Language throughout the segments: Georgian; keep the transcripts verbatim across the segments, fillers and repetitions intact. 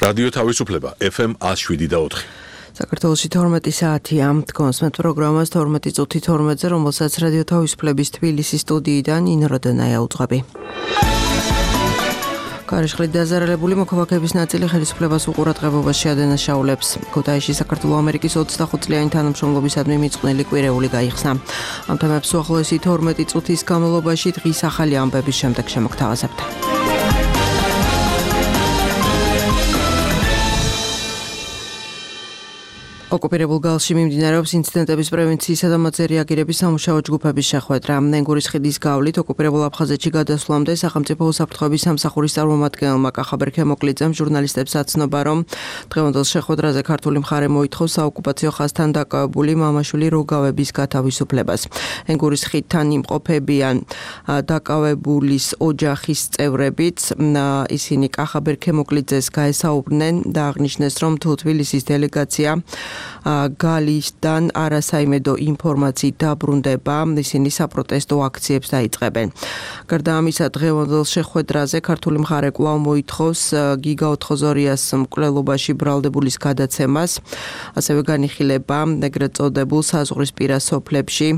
რადიო თავისუფლება ეფ ემ one oh seven და four. საქართველოში თორმეტი საათია. კონსმეთ პროგრამას თორმეტი წუთი თორმეტზე, რომელსაც რადიო თავისუფლების თბილისის სტუდიიდან ინო როდენაია უძღვები. ქარიშხლით დაზარალებული მოქალაქეების ნაწილი ხელისუფლებას უყურადღებობაში ადანაშაულებს. ქუთაისში საქართველო-ამერიკის ოცდახუთ წლიანი თანამშრომლობისადმი მიწყვნილი კვირეული გაიხსნა. ამ თემებს უახლოესი თორმეტი წუთის განმავლობაში დღის ახალი ამბების შემდეგ შემოგთავაზებთ. ოკუპირებულ გალში მიმდინარეობს ინციდენტების პრევენციისა და მათზე რეაგირების სამუშაო ჯგუფების შეხვედრა. ნენგურის ხიდის გავლით ოკუპირებულ აფხაზეთში გადასვლამდე სახელმწიფო უსაფრთხოების სამსახურის წარმომადგენელმა კახაბერ ქემოკლიძემ ჟურნალისტებს აცნობა, რომ დღევანდელ შეხვედრაზე ქართული მხარე მოითხოვს საოკუპაციო ხაზთან დაკავებული მამაშვილი როგავების გათავისუფლებას. ნენგურის ხიდთან იმყოფებიან დაკავებულის ოჯახის წევრებიც. ისინი კახაბერ ქემოკლიძეს გაესაუბრნენ და აღნიშნეს, რომ თუ თბილისის დელეგაცია გალისთან არასაიმედო ინფორმაციით დაბრუნდება, ისინი საპროტესტო აქციებს დაიწყებენ. გარდა ამისა, დღევანდელ შეხვედრაზე ქართული მხარე კვლავ მოითხოვს გიგა ოთხოზორიას მკვლელობაში ბრალდებულის გადაცემას, ასევე განიხილება ეგრეთ წოდებულ საზღვრისპირა სოფლებში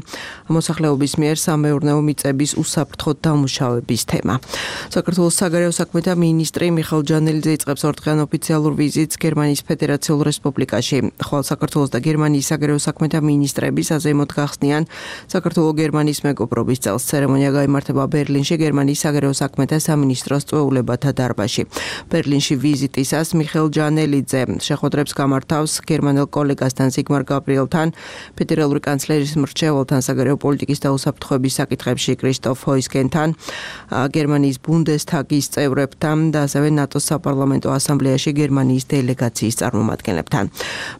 მოსახლეობის მიერ სამეურნეო მიწების უსაფრთხოდ დამუშავების თემა. საქართველოს საგარეო საქმეთა მინისტრი მიხეილ ჯანელიძე იწყებს ორდღიან ოფიციალურ ვიზიტს გერმანიის ფედერაციულ რესპუბლიკაში. ხვალ საქართველოს და გერმანიის საგარეო საქმეთა მინისტრების აზემოდ გახსნიან საქართველო-გერმანიის მეგობრობის წელს. ცერემონია გაიმართება ბერლინში, გერმანიის საგარეო საქმეთა სამინისტროს წვეულებათა დარბაზში. ბერლინში ვიზიტისას მიხეილ ჯანელიძე შეხვედრებს გამართავს გერმანელ კოლეგასთან ზიგმარ გაბრიელთან, ფედერალური კანცლერის მრჩეველთან, საგარეო პოლიტიკის და უსაფრთხოების საკითხებში კრისტოფ ჰოისგენთან, გერმანიის ბუნდესტაგის წევრებთან და ასევე ნატოს საპარლამენტო ასამბლეაში გერმანიის დელეგაციის წარმომადგენლებთან.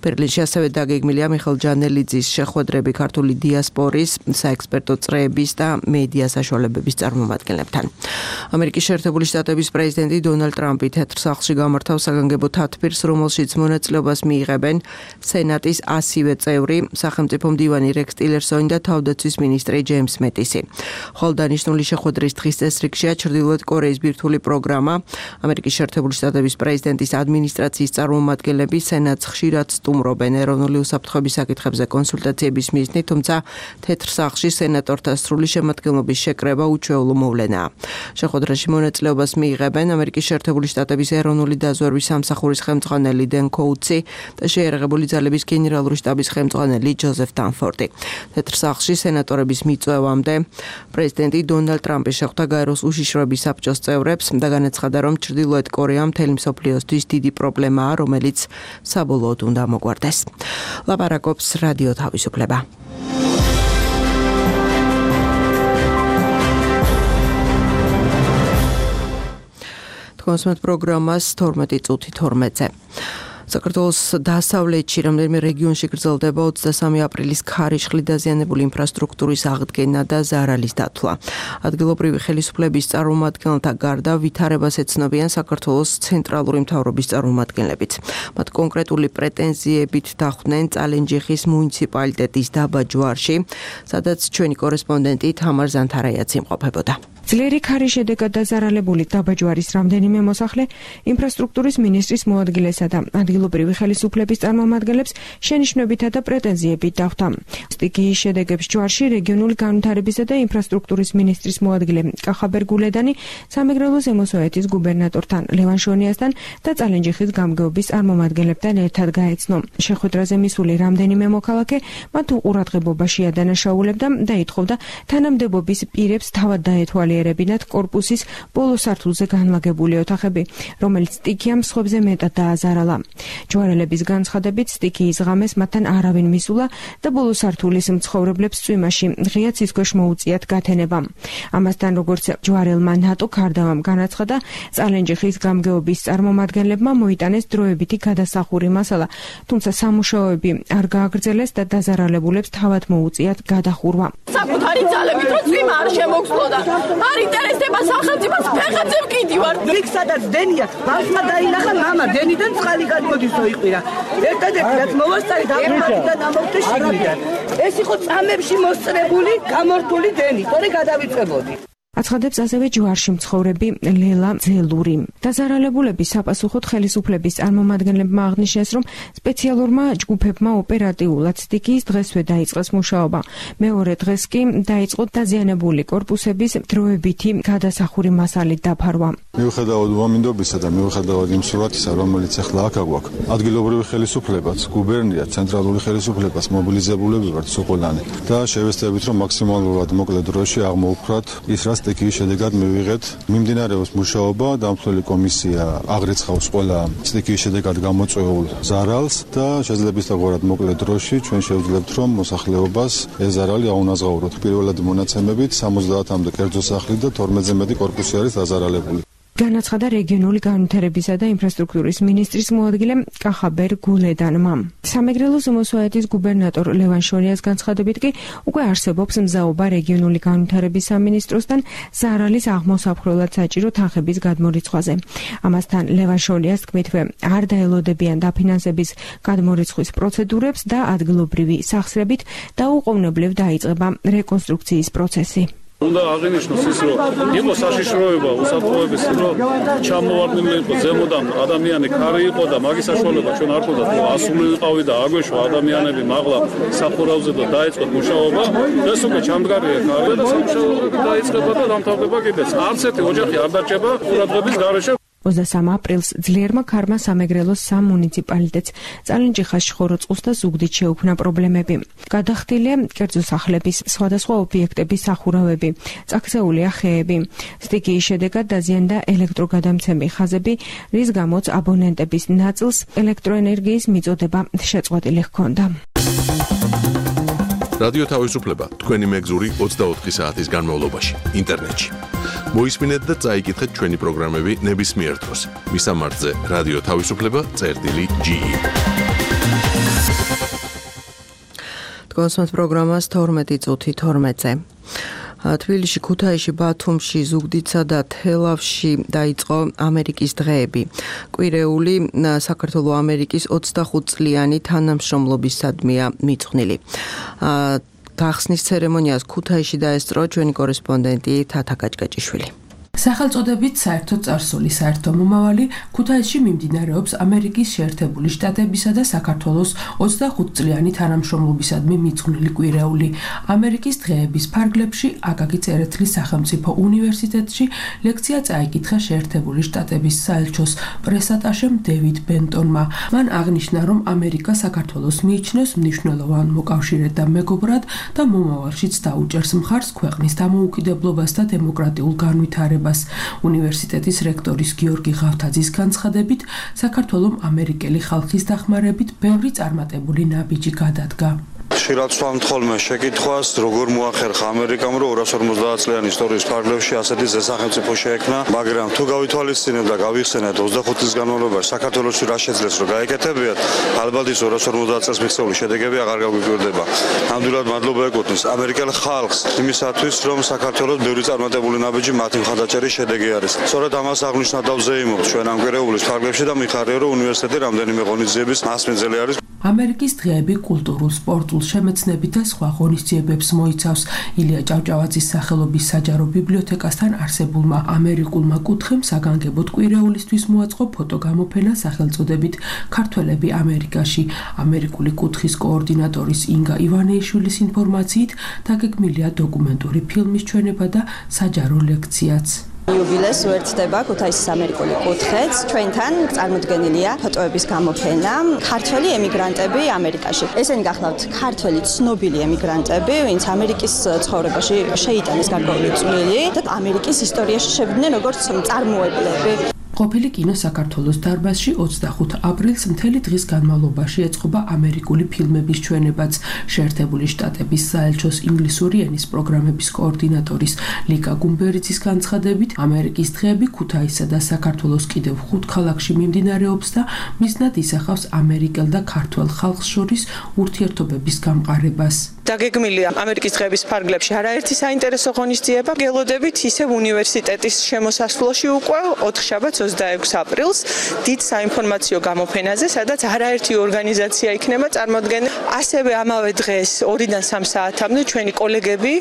ბერლინში ასევე დაგეგმილია მიხეილ ჯანელიძის შეხვედრები ქართული დიასპორის, საექსპერტო წრეების და მედია საშუალებების წარმომადგენლებთან. ამერიკის შეერთებული შტატების პრეზიდენტი დონალდ ტრამპი თეთრ სახლში გამართავს საგანგებო თათბირს, რომელშიც მონაწილეობას მიიღებენ სენატის ასივე წევრი, სახელმწიფო მდივანი რექს ტილერსონი და თავდაცვის მინისტრი ჯეიმს მეტისი. ხოლო დანიშნული შეხვედრის დღის წესრიგშია ჩრდილოეთ კორეის ბირთვული პროგრამა. ამერიკის შეერთებული შტატების პრეზიდენტის ადმინისტრაციის წარმომადგენლები სენატს ხშირად სტუმრობენ ეროვნული უსაფრთხოების საკითხებზე კონსულტაციების მიზნით, თუმცა თეთრ სახლში სენატორთა სრული შემადგენლობის შეკრება უჩვეულო მოვლენაა. შეხვედრაში მონაწილეობას მიიღებენ ამერიკის შეერთებული შტატების ეროვნული დაზვერვის სამსახურის ხელმძღვანელი დენ კოუთსი და შეიარაღებული ძალების გენერალური შტაბის ხელმძღვანელი ჯოზეფ დანფორდი. თეთრ სახლში სენატორების მიწვევამდე პრეზიდენტი დონალდ ტრამპი შეხვდა გაეროს უშიშროების საბჭოს წევრებს და განაცხადა, რომ ჩრდილოეთ კორეა მთელი მსოფლიოსთვის დიდი პრობლემაა, რომელიც საბოლოოდ უნდა მოგვარდეს. ლაპარაკობს რადიო თავისუფლება. კონსმეთ პროგრამას თორმეტი წუთი თორმეტზე. საქართველოს დასავლეთში რამდენიმე რეგიონში გრძელდება ოცდასამი აპრილის ქარიშხლი დაზიანებული ინფრასტრუქტურის აღდგენა და ზარალის დათვლა. ადგილობრივი ხელისუფლების წარმომადგენელთა გარდა ვითარებას ეცნობიან საქართველოს ცენტრალური მთავრობის წარმომადგენლებიც. მათ კონკრეტული პრეტენზიებით დახვდნენ წალენჯიხის მუნიციპალიტეტის დაბა ჯვარში, სადაც ჩვენი კორესპონდენტი თამარ ზანთარაიაც იმყოფებოდა. ძლიერი ქარის შედეგად დაზარალებული დაბა ჯვარის რამდენიმე მოსახლე ინფრასტრუქტურის მინისტრის მოადგილესა და ადგილობრივი ხელისუფლების წარმომადგენლებს შენიშვნებითა და პრეტენზიებით დახვდა. სტიქიის შედეგებს ჯვარში რეგიონული განვითარებისა და ინფრასტრუქტურის მინისტრის მოადგილე კახაბერ გულედანი სამეგრელო ზემო სვეტის გუბერნატორთან ლევან შონიასთან და წალენჯიხის გამგეობის წარმომადგენლებთან ერთად გაეცნო. შეხვედრაზე მისული რამდენიმე მოქალაქე მათ უყურადღებობაში ადანაშაულებდა და ითხოვდა თანამდებობის პირებს თავად დაეთვალიერებინათ კორპუსის ბოლო სართულზე განლაგებული ოთახები, რომელიც სტიქიამ სხვებზე მეტად დააზარალა. ჯვარელების განცხადებით სტიქიის ღამეს მათთან არავინ მისულა და ბოლო სართულის მცხოვრებლებს წვიმაში ღია ცისქვეშ მოუწიათ გათენება. ამასთან როგორც ჯვარელმა ნატო ქარდავამ განაცხადა, წალენჯიხის გამგეობის წარმომადგენლებმა მოიტანეს დროებითი გადასახური მასალა, თუმცა სამუშაოები არ გააგრძელეს და დაზარალებულებს თავად მოუწიათ გადახურვა. საკუთარი ძალებით რო წვიმა არ შემოგსვლოდა. არ ინტერესდება სახელმწიფოს ფეხებზე ვკიდივარ. იქ სადაც დენია, ბავშვმა დაინახა მამა, დენიდან წყალი გადმოდისო იყირა. ერთადერთი რაც მოვასწარი დაგმართიდან ამოვთე შიგნიდან. ეს იყო წამებში მოსწრებული, გამორთული დენი, თორე გადავიწებოდი. აცხადებს ასევე ჯვარში მცხოვრები ლელა ძელური. დაზარალებულების საპასუხოდ ხელისუფლების წარმომადგენლებმა აღნიშნეს, რომ სპეციალურმა ჯგუფებმა ოპერატიულად სტიქიის დღესვე დაიწყეს მუშაობა. მეორე დღეს კი დაიწყო დაზიანებული კორპუსების დროებითი გადასახური მასალით დაფარვა. მიუხედავად უამინდობისა და მიუხედავად იმ სურათისა, რომელიც ახლა აქ აგვაქვს, ადგილობრივი ხელისუფლებაც, გუბერნია, ცენტრალური ხელისუფლებას მობილიზებულები ვართ სოყოლანი და შევეცდებით, რომ მაქსიმალურად მოკლე დროში აღმოვფხვრათ ის, რაც სტიქიის შედეგად მივიღეთ. მიმდინარეობს მუშაობა, დამცველი კომისია აღრიცხავს ყველა სტიქიის შედეგად გამოწვეულ ზარალს და შეძლებს ისწავლოთ მოკლე დროში ჩვენ შევძლებთ, რომ მოსახლეობას ეს ზარალი აუნაზღაუროთ. პირველად მონაცემებით სამოცდაათამდე კერძო სახლი და თორმეტზე მეტი კორპუსი არის დაზარალებული. განაცხადა რეგიონული განვითარებისა და ინფრასტრუქტურის მინისტრის მოადგილე კახაბერ გულედანმა. სამეგრელოს ომოსვაეთის გუბერნატორ ლევან შორიას განცხადებით კი უკვე არსებობს მზაობა რეგიონული განვითარების სამინისტროსთან ზარალის აღმოსაფხრელად საჭირო თანხების გადმორიცხვაზე. ამასთან ლევან შორიას თქმითვე არ დაელოდებიან დაფინანსების გადმორიცხვის პროცედურებს და ადგილობრივი სახსრებით დაუყოვნებლივ დაიწყება რეკონსტრუქციის პროცესი. უნდა აღინიშნოს ის, რომ იყო საშიშროება უსაფრთხოების, რომ ჩამოვარდნილი იყო ზემოდან ადამიანი ქარი იყო და მაგის საშუალება ჩვენ არ ყოფდა, თუ ასულიყავი და აგვეშვა ადამიანები მაღლა სახურავზე და დაიწყოთ მუშაობა. ეს უკვე ჩამდგარია ქარი და სამუშაო დაიწყება და დამთავრდება კიდეც. არც ერთი ოჯახი არ დარჩება ყურადღების გარეშე. ოცდასამ აპრილს ძლიერმა ქარმა სამეგრელოს სამ მუნიციპალიტეტს წალენჯიხას, შხოროწყუს და ზუგდიდ შეუქმნა პრობლემები. გადახდილია კერძო სახლების სხვადასხვა ობიექტების სახურავები, წაქცეულია ხეები. სტიქიის შედეგად დაზიანდა ელექტროგადამცემი ხაზები, რის გამოც აბონენტების ნაწილს ელექტროენერგიის მიწოდება შეწყვეტილი ჰქონდა. რადიო თავისუფლება თქვენი მეგზური ოცდაოთხი საათის განმავლობაში ინტერნეტში. მოისმინეთ და წაიკითხეთ ჩვენი პროგრამები ნებისმიერ დროს. მისამართზე რადიო თავისუფლება წერტილი ჯი. თქვენს პროგრამას თორმეტი წუთი თორმეტზე. თბილისში, ქუთაისში, ბათუმში, ზუგდიდსა და თელავში დაიწყო ამერიკის დღეები. კვირეული საქართველოს ამერიკის ოცდახუთწლიანი თანამშრომლობისადმია მიძღვნილი. გახსნის ცერემონიას ქუთაისში დაესწრო ჩვენი კორესპონდენტი თათა გაჭგაჭიშვილი. სახელწოდებით საერთო წარსული საერთო მომავალი ქუთაისში მიმდინარეობს ამერიკის შეერთებული შტატებისა და საქართველოს ოცდახუთწლიანი თანამშრომლობისადმი მიძღვნილი კვირეული. ამერიკის დღეების ფარგლებში აკაკი წერეთლის სახელმწიფო უნივერსიტეტში ლექცია წაიკითხა შეერთებული შტატების საელჩოს პრესატაშემ დევიდ ბენტონმა. მან აღნიშნა, რომ ამერიკა საქართველოს მიიჩნევს მნიშვნელოვან მოკავშირედ და მეგობრად და მომავალშიც დაუჭერს მხარს ქვეყნის დამოუკიდებლობას და დემოკრატიულ განვითარებას. უნივერსიტეტის რექტორის გიორგი ღავთაძის განცხადებით, საქართველოს ამერიკელი ხალხის დახმარებით ბევრი წარმატებული ნაბიჯი გადადგა. ხშირად ვსვამთ ხოლმე შეკითხვას, როგორ მოახერხა ამერიკამ, რომ ორას ორმოცდაათ წლიანი ისტორიის ფარგლებში ასეთი ზესახელმწიფო შეექმნა, მაგრამ თუ გავითვალისწინებთ და გავიხსენებთ ოცდახუთ წლის განმავლობაში საქართველოს რა შეძლეს, რომ გაეკეთებიათ, ალბათ ის ორას ორმოცდაათ წელს მიღწეული შედეგები აღარ გაგვიკვირდება. ნამდვილად მადლობა ეკუთვნის ამერიკელ ხალხს იმისათვის, რომ საქართველოს ბევრი წარმატებული ნაბიჯი მათი მხარდაჭერის შედეგი არის. სწორედ ამას აღნიშნა და ვზეიმობთ ჩვენ ამ კვირეულის ფარგლებში და მიხარია, რომ უნივერსიტეტი რამდენიმე ღონისძიების მასპინძელი არის. ამერიკის დღეები კულტურულ, სპორტულ, შემეცნებით და სხვა ღონისძიებებს მოიცავს. ილია ჭავჭავაძის სახელობის საჯარო ბიბლიოთეკასთან არსებულმა ამერიკულმა კუთხემ საგანგებოდ კვირეულისთვის მოაწყო ფოტოგამოფენა სახელწოდებით ქართველები ამერიკაში. ამერიკული კუთხის კოორდინატორის ინგა ივანეიშვილის ინფორმაციით დაგეგმილია დოკუმენტური ფილმის ჩვენება და საჯარო ლექციაც. იუბილეს უერთდება ქუთაისის ამერიკული კუთხეც. ჩვენთან წარმოდგენილია ფოტოების გამოფენა ქართველი ემიგრანტები ამერიკაში. ესენი გახლავთ ქართველი ცნობილი ემიგრანტები, ვინც ამერიკის ცხოვრებაში შეიტანეს გარკვეული წვლილი და ამერიკის ისტორიაში შევიდნენ როგორც მწარმოებლები. ყოფილი კინო საქართველოს დარბაზში ოცდახუთ აპრილს მთელი დღის განმავლობაში ეწყობა ამერიკული ფილმების ჩვენებაც. შეერთებული შტატების საელჩოს ინგლისური ენის პროგრამების კოორდინატორის ლიკა გუმბერიძის განცხადებით, ამერიკის დღეები ქუთაისსა და საქართველოს კიდევ ხუთ ქალაქში მიმდინარეობს და მიზნად ისახავს ამერიკელ და ქართველ ხალხს შორის ურთიერთობების გამყარებას. დაგეგმილია ამერიკის დღეების ფარგლებში არაერთი საინტერესო ღონისძიება. გელოდებით ისევ უნივერსიტეტის შემოსასვლელში უკვე ოთხშაბათს ოცდაექვსი აპრილს დიდ საინფორმაციო გამოფენაზე, სადაც არაერთი ორგანიზაცია იქნება წარმოდგენილი. ასევე ამავე დღეს ორიდან სამ საათამდე ჩვენი კოლეგები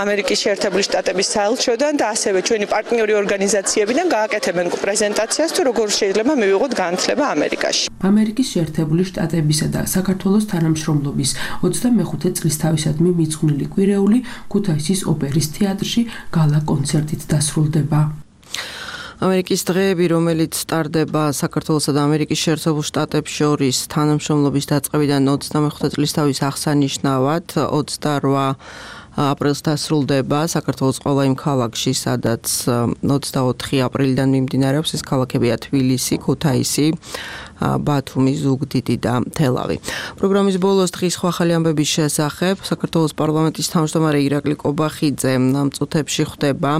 ამერიკის შეერთებული შტატების საელჩოდან და ასევე ჩვენი პარტნიორი ორგანიზაციებიდან გააკეთებენ პრეზენტაციას თუ როგორ შეიძლება მივიღოთ განათლება ამერიკაში. ამერიკის შეერთებული შტატებისა და საქართველოს თანამშრომლობის ოცდამეხუთე წლის თავისადმი მიძღვნილი კვირეული ქუთაისის ოპერის თეატრში გალა კონცერტით დასრულდება. ამერიკის დღეები, რომელიც სტარდება საქართველოსა და ამერიკის შეერთებულ შტატებს შორის თანამშრომლობის დაწყებიდან ოცდამეხუთე წლის თავის აღსანიშნავად ოცდაორ აპრილს დასრულდება საქართველოს ყველა იმ ქალაქში, სადაც ოცდაოთხი აპრილიდან მიმდინარეობს. ეს ქალაქებია თბილისი, ქუთაისი, ბათუმი, ზუგდიდი და თელავი. პროგრამის ბოლოს დღის ახალი ამბების შესახებ საქართველოს პარლამენტის თავმჯდომარე ირაკლი კობახიძე ამ წუთებში ხვდება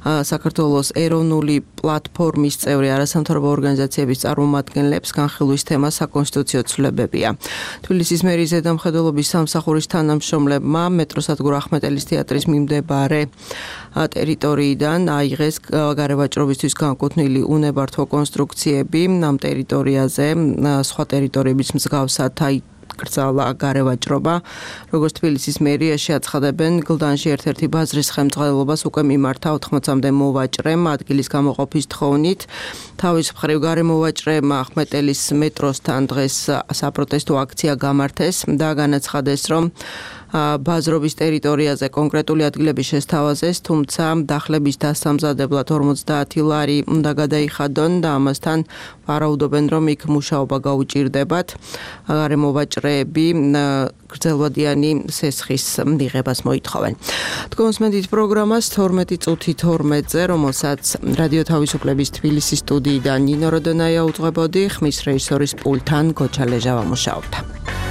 საქართველოს ეროვნული პლატფორმის წევრი არასამთავრობო ორგანიზაციების წარმომადგენლებს. განხილვის თემა საკონსტიტუციო ცვლილებებია. თბილისის მერის ზედამხედველობის სამსახურის თანამშრომლებმა მეტროსადგურ ახმეტელის თეატრის მიმდებარე ტერიტორიიდან აიღეს გარევაჭრობისთვის განკუთვნილი უნებართვო კონსტრუქციები. ამ ტერიტორიაზე სხვა ტერიტორიების მსგავსად აიკრძალა გარევაჭრობა. როგორც თბილისის მერიაში აცხადებენ, გლდანში ერთ-ერთი ბაზრის ხელმძღვანელობას უკვე მიმართა ოთხმოცამდე მოვაჭრემ ადგილის გამოყოფის თხოვნით. თავის მხრივ გარემოვაჭრემ ახმეტელის მეტროსთან დღეს საპროტესტო აქცია გამართეს და განაცხადეს, რომ ბაზრობის ტერიტორიაზე კონკრეტული ადგილები შესთავაზეს, თუმცა დახლების დასამზადებლად ორმოცდაათი ლარი უნდა გადაიხადონ და ამასთან ვარაუდობენ, რომ იქ მუშაობა გაუჭირდებათ. გარემოვაჭრეები გრძელვადიანი სესხის მიღებას მოითხოვენ. თქვენს მედით პროგრამას თორმეტი წუთი თორმეტზე, რომელსაც რადიო თავისუფლების თბილისის სტუდიიდან ნინო როდონაია უძღვებოდი, ხმის რეჟისორის პულტთან გოჩა ლეჟავა მუშაობდა.